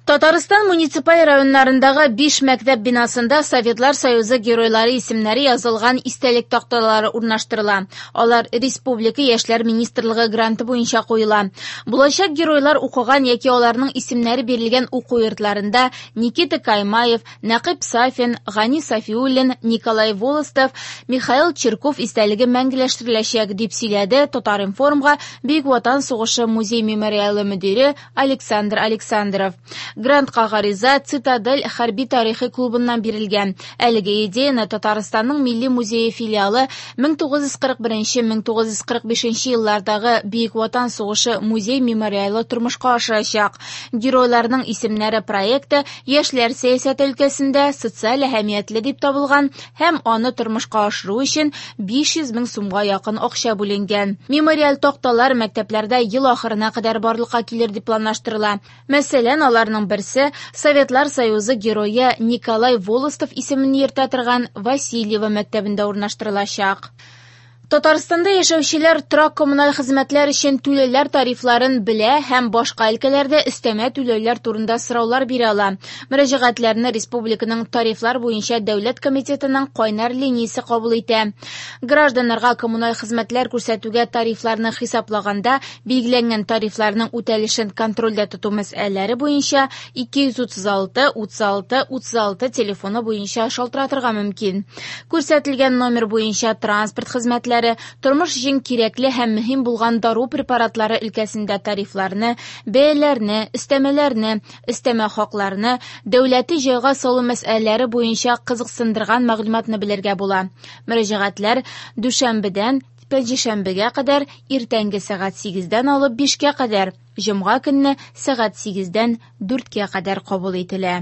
Татарстан муниципаль районнарындагы биш мәктәп бинасында Советлар Союзы геройлары исемнәре язылган истәлек такталары урнаштырыла. Алар республика Яшьләр министрлыгы гранты буенча куела. Булачак геройлар укыган яки аларның исемнәре бирелгән уку йортларында Никита Каймаев, Нәкыйп Сафин, Гани Сафиуллин, Николай Волостов, Михаил Чирков истәлеге мәңгеләштереләчәк, дип сөйләде Татар-информга Бөек Ватан сугышы музей-мемориалы мөдире Александр Александров. Грантка гариза Цитадель хәрби-тарихи клубыннан бирелгән. Әлеге идеяне Татарстанның Милли музее филиалы 1941-1945 еллардагы Бөек Ватан сугышы музей-мемориалы тормышка ашырачак. Геройларның исемнәре проекты яшьләр сәясәте өлкәсендә социаль әһәмиятле дип табылган һәм аны тормышка ашыру өчен 500 мең сумга якын акча бүленгән. Мемориаль такталар мәктәпләрдә ел ахырына кадәр барлыкка килер дип планлаштырыла. Мәсәлән, аларның берсе Советлар Союзы герое Николай Волостов исемен йөртә торган Васильево мәктәбендә урнаштырылачак. Татарстанда яшәүчеләр торак-коммуналь хезмәтләр өчен түләүләр тарифларын белә һәм башка өлкәләрдә өстәмә түләүләр турында сораулар бирә ала. Мөрәҗәгатьләрне республиканың тарифлар буенча дәүләт комитетының кайнар линиясе кабул итә. Гражданнарга коммуналь хезмәтләр күрсәтүгә тарифларны хисаплаганда билгеләнгән тарифларның үтәлешен контрольдә тоту мәсьәләләре буенча 236 36 36 телефоны буенча шалтыратырга мөмкин. Күрсәтелгән номер буенча транспорт хезмәтләре, тормыш өчен кирәкле һәм мөһим булган дару препаратлары өлкәсендә тарифларны, бәяләрне, өстәмәләрне, өстәмә хакларны, дәүләти җайга салу мәсьәләләре буенча кызыксындырган мәгълүматны белергә була. Мөрәҗәгатьләр дүшәмбедән пәнҗешәмбегә кадәр иртәнге сәгать 8-дән алып 5-кә кадәр, җомга көнне сәгать 8-дән 4-кә кадәр кабул ителә.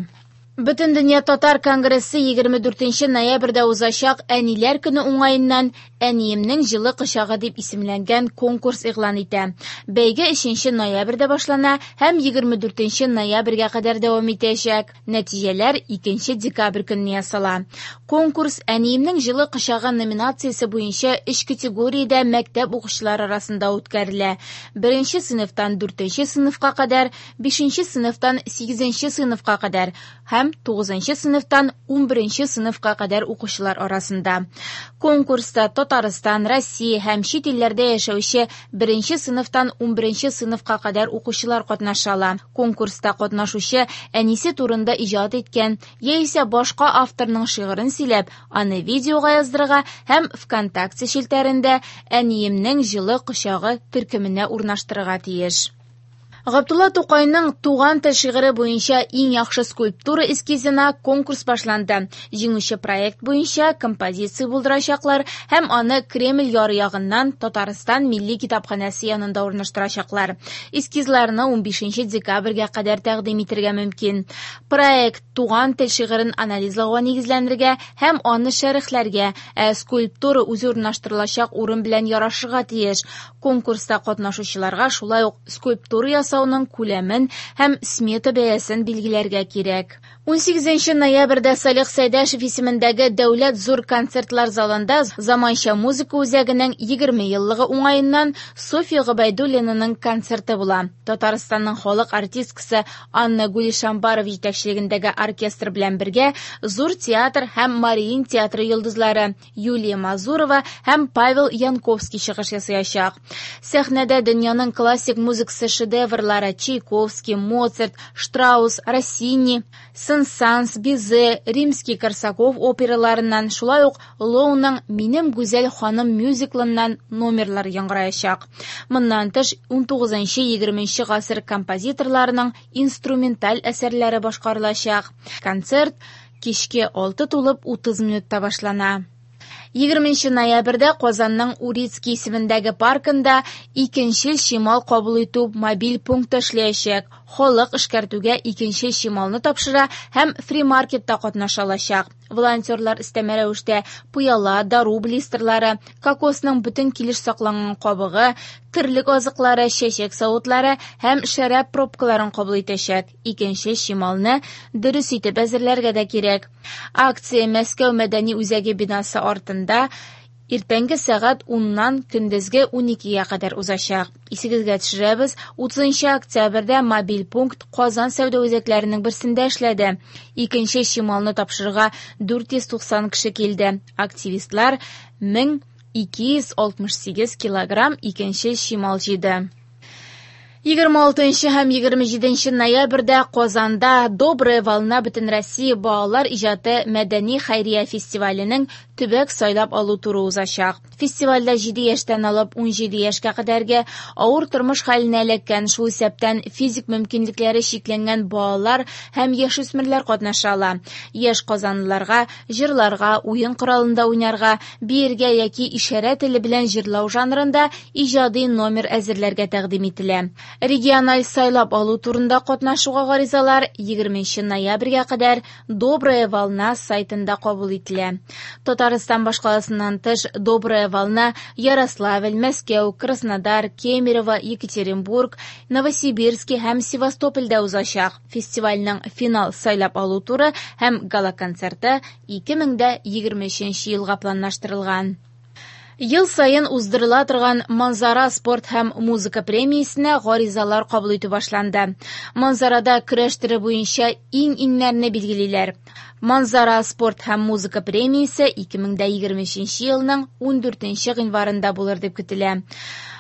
Бөтендөнья татар конгрессы 24 ноябрьдә узачак Әниләр көне уңаеннан Әниемнең җылы кочагы дип исемләнгән конкурс игълан итә. Бәйге 3 ноябрьдә башлана һәм 24 ноябрьгә кадәр дәвам итәчәк. Нәтиҗәләр 2 декабрь көнне ясала. Конкурс Әниемнең җылы кочагы номинациясе буенча өч категориядә мәктәп укучылары арасында үткәрелә. Беренче сыйныфтан дүртенче сыйныфка кадәр, бишенче сыйныфтан сигезенче сыйныфка кадәр һәм тугызынчы сыйныфтан 11 сыйныфка кадәр укучылар арасында. Конкурста Татарстан, Россия һәм чит илләрдә яшәүче беренче сыйныфтан 11 сыйныфка кадәр укучылар катнаша ала. Конкурста катнашучы әнисе турында иҗат иткән яисә башка авторның шигырен сөйләп, аны видеога яздырырга һәм ВКонтакте челтәрендә Әниемнең җылы кочагы төркеменә урнаштырырга тиеш. Габдулла Тукайның Туган тел шигыре буенча иң яхшы скульптура эскизына конкурс башланды. Җиңүче проект буенча композиция булдырачаклар һәм аны Кремль яры ягыннан Татарстан Милли китапханәсе янында урнаштырачаклар. Эскизларны 15 декабрьгә кадәр тәкъдим итәргә мөмкин. Проект Туган тел шигырен анализлауга нигезләнергә һәм аны шәрехләргә, ә скульптура үзе урнаштырылачак урын белән ярашырга тиеш. Конкурста катнашучыларга шулай ук скульптура ясауның күләмен һәм смета бәясен билгеләргә кирәк. 18 ноябрьдә Салих Сәйдәшев исемендәге Дәүләт зур концертлар залында Заманча музыка үзәгенең 20 еллыгы уңаеннан Софья Гобәйдуллинаның концерты була. Татарстанның халык артисткасы Анна Гулишамбарова җитәкчелегендәге оркестр белән бергә Зур театр һәм Мариин театры йолдызлары Юлия Мазурова һәм Павел Янковский чыгыш ясаячак. Сәхнәдә дөньяның классик музыкасы шедеврлары Чайковский, Моцарт, Штраус, Россини, Сен-Санс, Бизе, Римский-Корсаков операларыннан, шулай ук Лоуның Минем гүзәл ханым мюзиклыннан номерлар яңгыраячак. Моннан тыш, 19-20 гасыр композиторларының инструменталь әсәрләре башкарылачак. Концерт кичке 6 тулып 30 минутта башлана. 20 ноябрьдә Казанның Урицкий исемендәге паркында икенчел чимал кабул итү мобиль пункты эшләячәк. Халык эшкәртүгә икенчел чималны тапшыра һәм фри-маркетта катнаша алачак. Волонтерлар өстәмә рәвештә пыяла, дару блистерлары, кокосның бөтен килеш сакланган кабыгы, терлек азыклары, чәчәк савытлары һәм шәраб пробкаларын кабул итәчәк. Икенче чималны дөрес итеп әзерләргә дә кирәк. Акция Мәскәү мәдәни үзәге бинасы артында иртәнге сәгать 10-нан көндезге 12-гә кадәр узачак. Исегезгә төшерәбез, 30 октябрьдә мобиль пункт Казан сәүдә үзәкләренең берсендә эшләде. Икенче чималны тапшырырга 490 кеше килде. Активистлар 1268 килограмм икенче чимал җыйды. 26 һәм 27 ноябрьдә Казанда «Добрая волна» Бөтенроссия балалар иҗаты мәдәни хәйрия фестиваленең төбәк сайлап алу туры узачак. Фестивальдә 7 яшьтән алып 17 яшькә кадәрге авыр тормыш хәленә эләккән, шул исәптән физик мөмкинлекләре чикләнгән балалар һәм яшүсмерләр катнаша ала. Яшь казанлыларга җырларга, уен коралында уйнарга, биергә яки ишарә теле белән җырлау жанрында иҗади номер әзерләргә тәкъдим ителә. Региональ сайлап алу турында катнашуга гаризалар 20 ноябрьгә кадәр «Добрая волна» сайтында кабул ителә. Татарстан башкаласыннан тыш «Добрая волна» Ярославль, Мәскәү, Краснодар, Кемерово, Екатеринбург, Новосибирск һәм Севастопольдә узачак. Фестивальнең финал сайлап алу туры һәм гала-концерты 2023 елга планлаштырылган. Ел саен уздырыла торган Манзара спорт һәм музыка премиясенә гаризалар кабул итү башланды. Манзарада көрәш төре буенча иң-иңнәрне билгелиләр. Манзара спорт һәм музыка премиясе 2023 елның 14 гыйнварында булыр дип көтелә.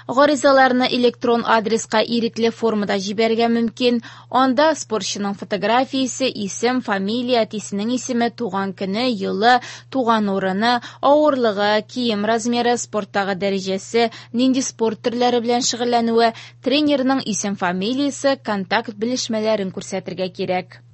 Гаризаларны электрон адреска ирекле формада җибәрергә мөмкин. Анда спортчының фотографиясе, исем, фамилия, әтисенең исеме, туган көне, елы, туган урыны, авырлыгы, кием размеры, спорттагы дәрәҗәсе, нинди спорт төрләре белән шөгыльләнүе, тренерның исем-фамилиясе, контакт белешмәләрен күрсәтергә кирәк.